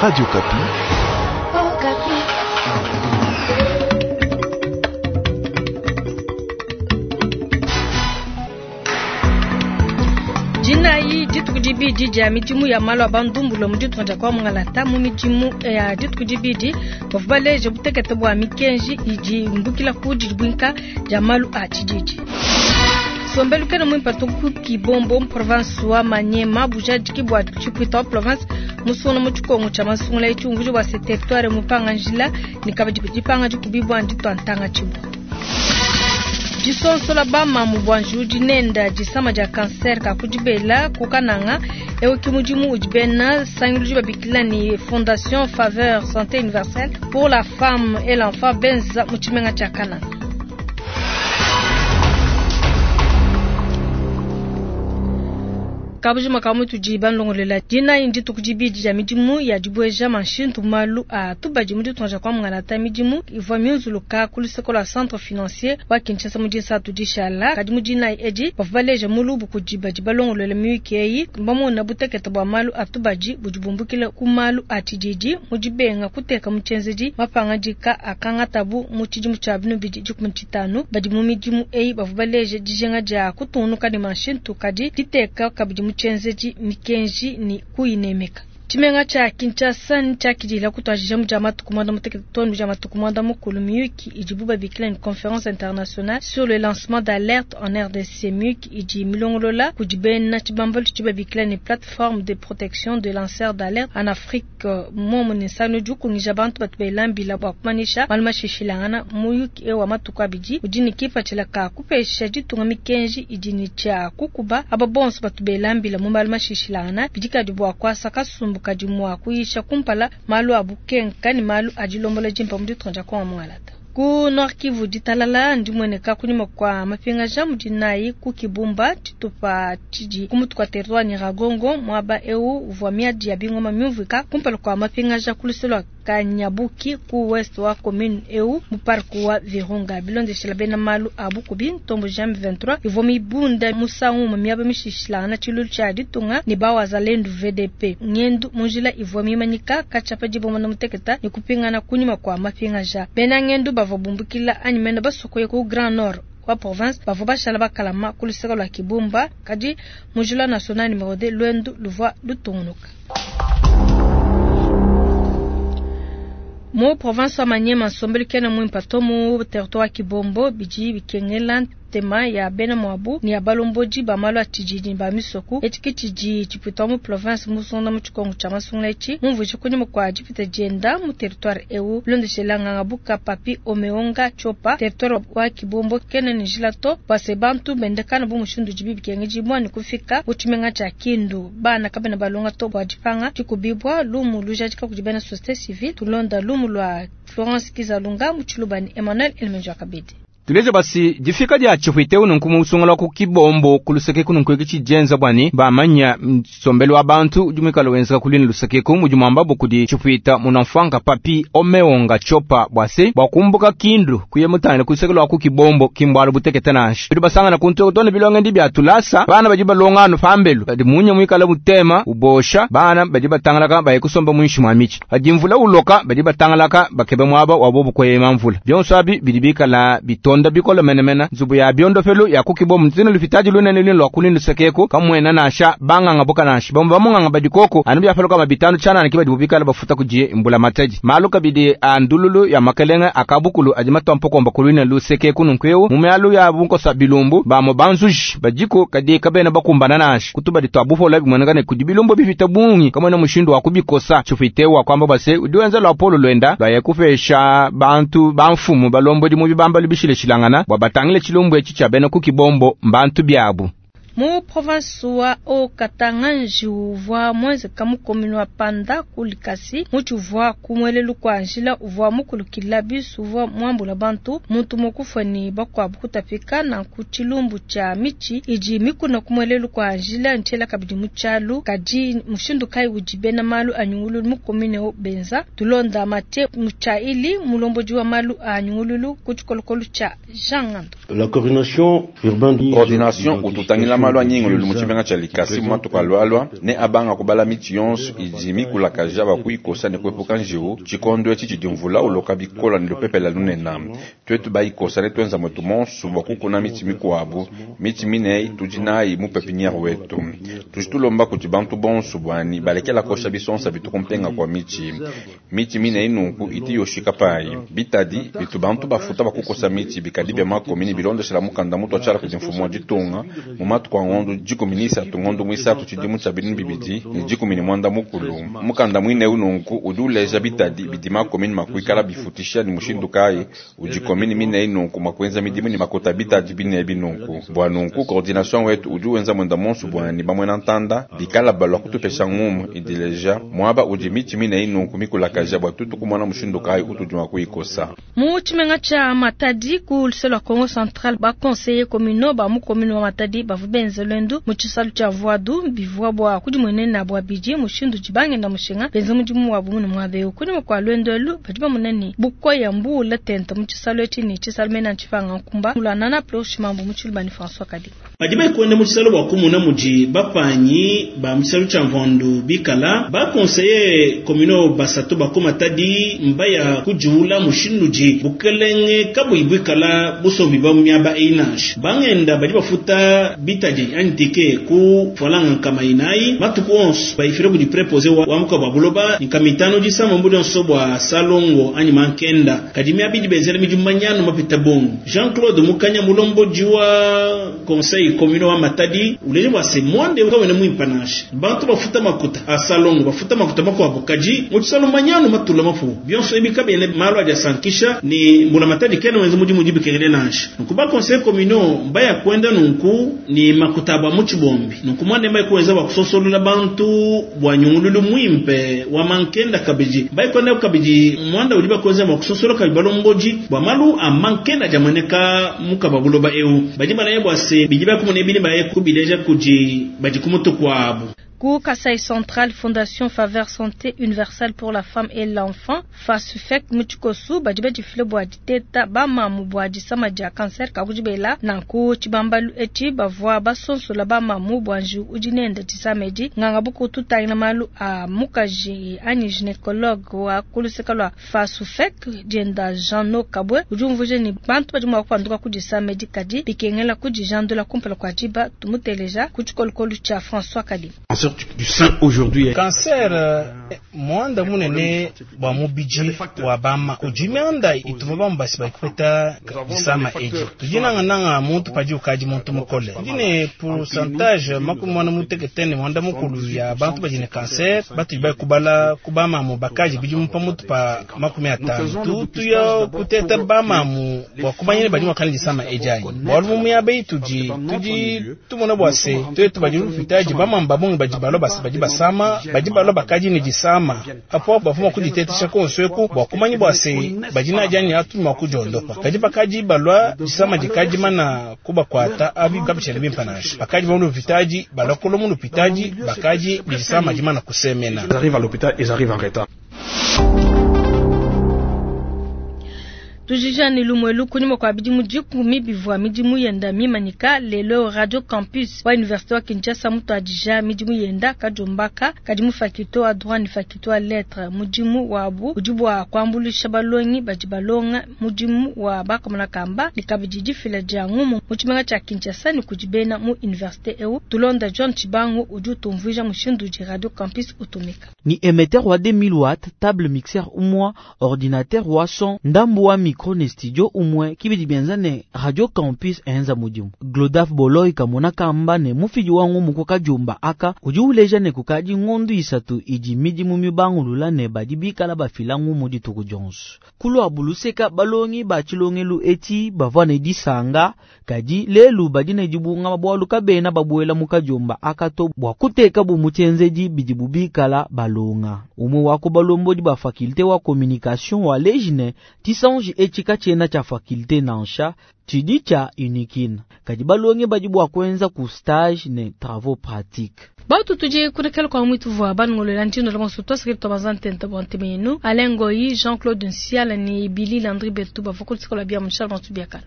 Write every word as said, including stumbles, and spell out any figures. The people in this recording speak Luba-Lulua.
Radio Okapi. Dinayi dituku dibidi dia midimu ya malu a bandumbulwa mu ditunga dia kwa mungalata mu midimu ya dituku dibidi bavua baleje butekete bua mikenji idi imbukila ku dibwinka dia malu a tshididi. Nsombelu kena muimpe to ku Kibombo mu province wa Maniema bujadiki bua tshipuita wa province musungula mu tshikongo tshia masungula etshi umvuija bua se territoire mupanga njila ne kabidi dipanga dikubibua nditua ntanga tshibua. Disonsola bamamu bua njiwu nenda disama dia cancer ka kudibela ku Kananga ewu ki mudimu udi bena sanguluji babikila ni Fondation Faveur Santé Universelle pour la femme et l'enfant benza mu tshimenga tshia Kananga. Kabujima ka mutu di banlongolela dinayi dituku dibidi dia midimu ya dibweja manshintu malu a tubadi mu ditunga kwa mungalata midimu ivua miunzuluka ku luseko lua centre financier wa Kinshasa mu disatu dishala kadi mu dinayi edi bavua baleja mulubu kudi badi balongolola miyuki eyi bamona butekete bua malu a tubadi budi bumbukila ku malu a tshididi mu dibenga kuteka mu tshienzedi mapangadika akangatabu mu tshidimu tshia binu bidi dikumi tshitanu badi mu midimu eyi bavua baleja dijinga dia kutungunuka ne manshintu kadi diteka kabidi mu tshienzedi mikenji ni kuyinemeka. Tshimenga tshia Kinshasa ntshiakidila kutuadija mu dia matuku muanda mutekete too ne dia matuku muanda mukulu miyuki idibu babikila ni conférence internationale sur le lancement d'alerte en R D C. Miyuki idi milongolola kudi bena tshibambalu tshidi babikila ni plateforme de protection de lanceurs d'alerte en Afrique. Momu ne nsanu udi ukungija bantu batu belambila bua kumanyisha malu mashishilangana. Muyuki ewu wa matuku abidi udi ne kipatshila ka kupesha ditunga mikenji idi ne tshia kukuba aba bonso batu belambila mu malu mashishilangana bidi kadi bua kuasa kasumbu kadi mua kuyisha kumpala malu a bukenka ne malu a dilombola dimpa mu ditunga dia Kongo mungalata. Ku Nord Kivu ditalala ndimweneka kunyima kwa mapingaja mu dinayi ku Kibumba tshitupa tshidi ku mutu kwa territoire Nyiragongo muaba ewu uvua miadi ya bingoma miumvuika kumpala kwa mapingaja ku luselo lua Kanyabuki ku west wa commune ewu mu parc wa Virunga bilondeshela bena malu a bukubi ntombo J M vingt-trois ivua mibunda musangu mu miaba mishishilangana tshilulu tshia ditunga ne bawazalendu V D P ngendu mu njila ivua mimanyika katshia dibomba na muteketa ne kupingana kunyima kwa mapingaja bena ngendu bavua bumbukila anyi mena basokoye ku Grand Nord wa province bavua bashala bakalama ku luseke lua Kibumba kadi mu njila national numéro deux lwendu luvua lutungunuka. Mu province wa Maniema nsombelu kena muimpe to mu territoire wa Kibombo bidi bikengela tema ya bena mwabu ni ya balombodi ba malu a tshididi ba misoku etshi tshidi tshipita mu province musonda mu tshikongo tshia masungula etshi mumvuije kunyima kwa dipita dienda mu territoire ewu bilondeshela nganga buka papi omeonga chopa territoire wa Kibombo kena ne njila to bua bantu bendekana bu mushindu dibi bikengedibua ne kufika mu tshimenga tshia Kindu bana kabena balonga to bua dipanga dikubibua lumu lujadika kudi bena société civile tulonda lumu lua Florence Kizalunga mu Tshilubani Emmanuel Elmenjo Kabedi. Tuleje basi difika dia tshipuite unu nkumu usungula ku Kibombo ku luseke kunu nkweki tshijenza bwani bamanya nsombelu wa bantu udi muikale wenzeka kulini luseke ku mudi mwamba bukudi tshipuita munamfwanga papi omeonga chopa bwase bwakumbuka Kindu kuye mutangile ku luseke lwa ku Kibombo kimbwalo butekete nashi bidi basangana ku ntoko tone bilonge ndi bya tulasa bana badi balongano pambelu badi munye muikale mutema ubosha bana badi batangalaka baye kusomba mwinshi mwa michi badi mvula uloka badi batangalaka bakebe mwaba wabo bukwema mvula byonso abi bidi bikala bitonda bikola menemena nzubu ya biondofelo ya kukibo mutino lufitaji lunene lino lwa kulini lusekeko kamwena nasha banganga boka nashi bamwe bamunganga badikoko anu byafaloka mabitano chana na kibadi bubikala bafuta kujiye imbula mataji malu kabidi andululu ya makelenga akabukulu ajima tompokomba kulina lusekeko nunkweu mumyalu ya bunkosa bilumbu bamo banzuji bajiko kadi kabena bakumbana nashi kutubadi twabufola bimweneka ne kudi bilumbu bifita bungi kamwena mushindu wa kubikosa chufitewa kwamba base udiwenza lwa polo lwenda lwa yakufesha bantu bamfumu balombo di mu bibamba lubishile shilangana bwa batangile chilumbu echi cha bena ku Kibombo mbantu byabu. Mu province wa Haut-Katanga uvua mwenzeka mu commune wa Panda ku Likasi mutu uvua kumwelelu kwa njila uvua mukulukila bisu uvua mwambula bantu muntu mukufa ni bakuabu kutapika na ku tshilumbu tshia michi idi mikuna kumwelelu kwa njila ntshela kabidi mu tshialu kadi mushindu kayi udi bena malu a nyungululu mu commune o Benza tulonda Mathieu Mutshaili mulombodi wa malu a nyungululu ku tshikolokolo tshia Jean Ngando. La coordination urbaine coordination ututangila malu a nyingululu mu tshimenga tshia Likasi mu matuku alualua ne abanga kubala mitshi yonso idi mikulakaja bua kuyikosa ne kuepuka njiwu. Tshikondo etshi tshidi mvula uloka bikola ne lupepele lunene. Tuetu bayikosa ne tuenza mwetu monso bua kukuna mitshi mikuabu, mitshi mine tudi nayi mu pepiniere wetu. Tudi tulomba kudi bantu bonso bwani balekela kosha bisonsa bitu kumpenga kwa mitshi. Mitshi mine inunku iti yoshika payi. Bitadi bitu bantu bafuta bakukosa mitshi bikadi bya makomini bilondeshela mukanda mutu achala kudi mfumu wa ditunga mu matuku a ngondo dikumi ni isatu ngondo muisatu tshidimu tshia binunu bibidi ne dikumi ne mwanda mukulu. Mukanda mwine ununku udi uleja bitadi bidi makomini makuikala bifutisha ni mushindu kayi udi komini mine inunku makuenza midimu ni makota bitadi bine binunku. Bwa nunku coordination wetu udi wenza mwenda monso bwani bamwena ntanda bikala balwa kutupesha ngumu idileja mwaba udi mitshi mine inunku mikulakaja bwa tutu kumona mushindu kayi utudi mwa kuyikosa. Mu tshimenga tshia Matadi ku luseke lua Congo Central ba conseiller communaux ba mu commune wa Matadi bavua benze luendu mu tshisalu tshia Vuadu bivua bua kudimuenena bua bidi mushindu dibangenda mushinga benze mudimu wabu mune muaba eu. Kunyima kua luendu elu badi bamona ne bukoya mbuula tente mu tshisalu etshi ne tshisalu mena ntshipanga nkumba mulanana Plosh Mambu mu Tshilubani François Kadi. Badi bakwenda mu tshisalu bua kumona mudi bapanyi ba mu tshisalu tshia Mvandu bikala ba conseiller communaux basatu ba ku Matadi mbaya kujuula mushindu di bukelenge kabuyi bikala busombi ba miaba einash bangenda badi bafuta bitadi anyi tike ku falanga nkama inayi matuku onso bayifile kudi préposé wa, wa muka bwa buloba nkama itano disama mbudi onso bwa salongo anyi mankenda kadi miabidi benzela midimu manyanu mapita bongo. Jean-Claude Mukanya mulomboji wa conseil communal wa Matadi uleje bwa se mwande kawene muimpanashe bantu bafuta makuta a salongo bafuta makuta makwabo kaji mu tshisalu manyanu matula mafu bionso ebika bene malo aja sankisha ni mbula Matadi kene wenze mudimu dibikengele nansha nkuba conseil communal mbaya kwenda nunku ni makuta bwa muchibombi nunku mwande mbaye kuweza bwa kusosolola bantu bwa nyungululu muimpe wa mankenda kabiji mbaye kwenda kabiji mwanda uliba kuweza bwa kusosola kabalomboji bwa malu a mankenda jamaneka mukababuloba eu baji banaye bwa se bijiba kumune bini baye kubileja kuji baji kumutu kwabu. Ku Kasai Central, Fondation Faveur Santé Universelle pour la Femme et l'Enfant, FASUFEC Muchikosu, badi badifile bua diteta bamamu bua disama dia cancer kakujibela nanku tshibambalu etshi bavua basonsola bamamu bua njiwu udi nende disama edi. Nganga buku tutangila malu a mukaji anyi gynécologue wa kuluseka lua FASUFEC dienda Jean Kabwe udi umvuija ne bantu badi mua kupanduka ku disama edi kadi bikengela kudijandula kumpala kua diba. Tumuteleja ku tshikolokolo tshia François Kadi. Du sein aujourd'hui. Cancer mwanda munene bwa mubiji wa bama kujimianda ituma bambasi bakupeta disama eji tujinanga nanga muntu paji ukaji muntu mukole ndine pourcentage makumi mwana muteketene mwanda mukulu ya bantu bajine cancer batu ba kubala kubama mu bakaji biji mpa mutu pa makumi atano tutu ya kuteta bama mu bwa kumanyene badi mwakani disama eji ayi bwalu mu ya tuji tuji tumona bwa se tuetu badi rufitaji bama mbabonge baji balo basi baji basama baji balo bakaji ni disama apo bafuma kuditetesha konsweku bwa kumanyi bwa se baji na jani atu makujondopa kaji bakaji balwa disama dikaji mana kubakwata abi kabishele bimpanasha bakaji balu vitaji balokolo mu lupitaji bakaji disama jimana kusemena. Ils arrivent à l'hôpital, ils arrivent en retard. Tujijani lumwelu kunyuma kwa bidimu dikumi bivua midimu yenda mimanyika lelo Radio Campus wa Université wa Kinshasa mutu adija midimu yenda kajombaka kadi mu faculté wa droit ni faculté wa lettres mudimu wabu udi bua kuambulisha balongi badi balonga mudimu wa bakomana kamba ni kabidi difila dia ngumu mu tshimenga tshia Kinshasa ni kudibena mu université eu. Tulonda John Chibangu udi utumvuija mushindu udi Radio Campus utumika ni émetteur wa deux mille watts table mixeur umwa ordinateur wa son ndambu wa micro ne studio umwe kibidi bianza ne Radio Campus enza mudimu. Glodaf Boloi kamona kamba ne mufiji wangu muko kajumba aka udi uleja ne kukaji ngondu isatu idi midimu mibangulula ne badi bikala bafilangu mudi tuku jonso. Kulo abuluseka balongi ba chilongelu eti bavua ne disanga kadi lelu badi ne dibunga mabwalu kabena babuela mukajumba aka to bwa kuteka bu mutenzedi bidi bubikala balonga. Umwe wako balombodi ba faculté wa communication wa lejine tisanji eti kachena cha faculté nansha chidi cha unikina kadi balonge badi bwa kwenza ku stage ne travaux pratiques. Batu tuje kunekela kwa mwitu vwa bangolela ntino la monso twasakiri twabazantenta bwantemenu Alain Goyi, Jean-Claude Nsiala ni Billy Landry Betu bavokoli sikola bia mshal bantu biakala.